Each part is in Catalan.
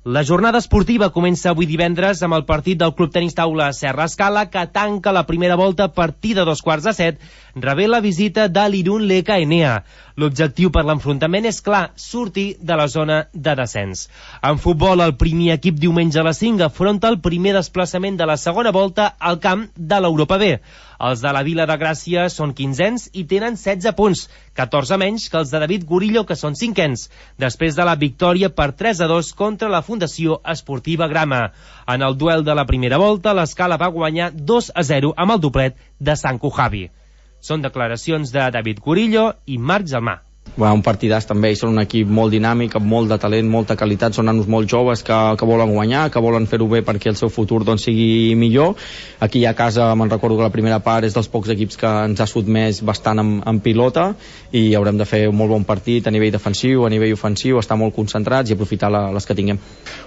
La jornada esportiva comença avui divendres amb el partit del Club Tenis Taula Serra Escala, que tanca la primera volta a partir de 6:15, rebé la visita de l'Irun Leka Enea. L'objectiu per l'enfrontament és clar, sortir de la zona de descens. En futbol, el primer equip diumenge a les 5 afronta el primer desplaçament de la segona volta al camp de l'Europa B. Els de la Vila de Gràcia són 15ens i tenen 16 punts, 14 menys que els de David Gurillo, que són 5ens, després de la victòria per 3-2 contra la Fundació Esportiva Grama. En el duel de la primera volta, l'Escala va guanyar 2-0 amb el doblet de Sanco Javi. Són declaracions de David Gurillo i Marc Gelmà. Un partidàs també, són un equip molt dinàmic, amb molt de talent, molta qualitat, són nanos molt joves que volen guanyar, que volen fer-ho bé perquè el seu futur sigui millor. Aquí a casa me'n recordo que la primera part és dels pocs equips que ens ha sotmès bastant en pilota i haurem de fer un molt bon partit a nivell defensiu, a nivell ofensiu, estar molt concentrats i aprofitar les que tinguem.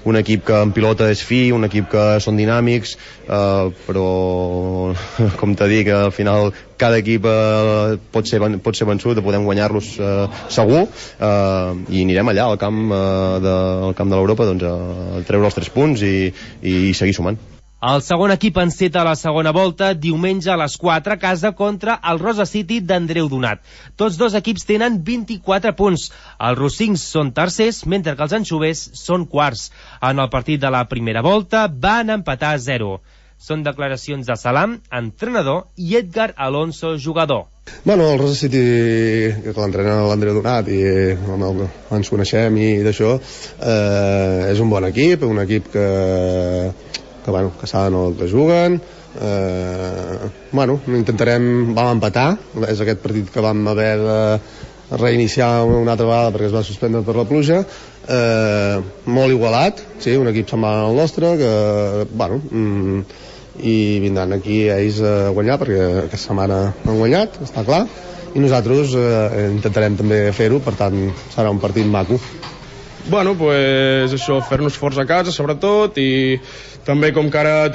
Un equip que en pilota és fi, un equip que són dinàmics, però com t'he dit, al final cada equip pot ser vençut, podem guanyar-los segur, i anirem allà al camp de l'Europa a treure els 3 punts i seguir sumant. El segon equip enceta la segona volta diumenge a les 4 a casa contra el Rosa City d'Andreu Donat. Tots dos equips tenen 24 punts. Els rossins són tercers, mentre que els anxovers són quarts. En el partit de la primera volta van empatar a 0. Són declaracions de Salam, entrenador, i Edgar Alonso, jugador. El Rosa City, que l'entrena l'Andreu Donat i ens coneixem i d'això, és un bon equip, un equip que saben el que juguen. Vam empatar, és aquest partit que vam haver de reiniciar una altra vegada perquè es va suspendre per la pluja. Molt igualat, sí, un equip semblant al nostre i vindran aquí ells a guanyar perquè aquesta setmana han guanyat, està clar, i nosaltres intentarem també fer-ho, per tant serà un partit maco. Això, fer-nos forts a casa sobretot, i també com que ara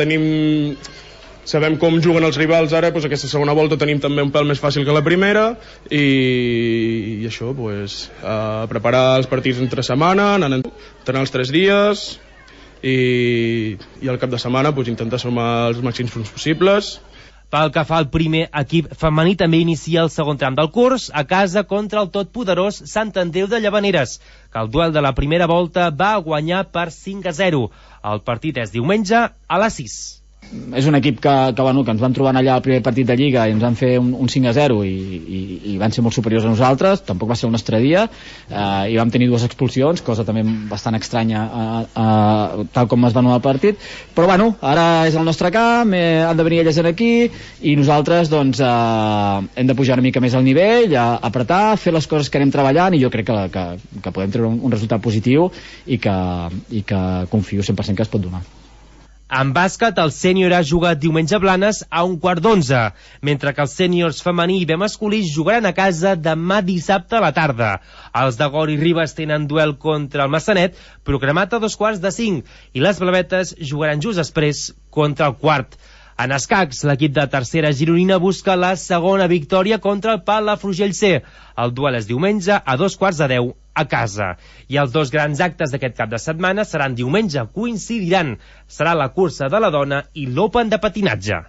sabem com juguen els rivals ara, aquesta segona volta tenim també un pèl més fàcil que la primera, i això, preparar els partits entre setmana, entrenar els 3 dies i al cap de setmana intentar sumar els màxims punts possibles. Pel que fa al primer equip femení, també inicia el segon tram del curs a casa contra el totpoderós Sant Andreu de Llavaneres, que el duel de la primera volta va guanyar per 5-0. El partit és diumenge a les 6. És un equip que ens van trobar allà al primer partit de Lliga i ens van fer un 5-0 i van ser molt superiors a nosaltres. Tampoc va ser el nostre dia, i vam tenir 2 expulsions, cosa també bastant estranya tal com es va anular el partit, però ara és el nostre camp, han de venir elles aquí i nosaltres hem de pujar una mica més al nivell, apretar, fer les coses que anem treballant, i jo crec que podem treure un resultat positiu i que confio 100% que es pot donar. En bàsquet, el sènior A juga diumenge a Blanes a 1:15, mentre que els sèniors femení i B masculí jugaran a casa demà dissabte a la tarda. Els de Gori Ribes tenen duel contra el Massanet, programat a 4:45, i les blavetes jugaran just després contra el quart. En escacs, l'equip de tercera gironina busca la segona victòria contra el Palafrugell C. El duel és diumenge a 9:15 a casa. I els 2 grans actes d'aquest cap de setmana seran diumenge, coincidiran. Serà la cursa de la dona i l'Open de patinatge.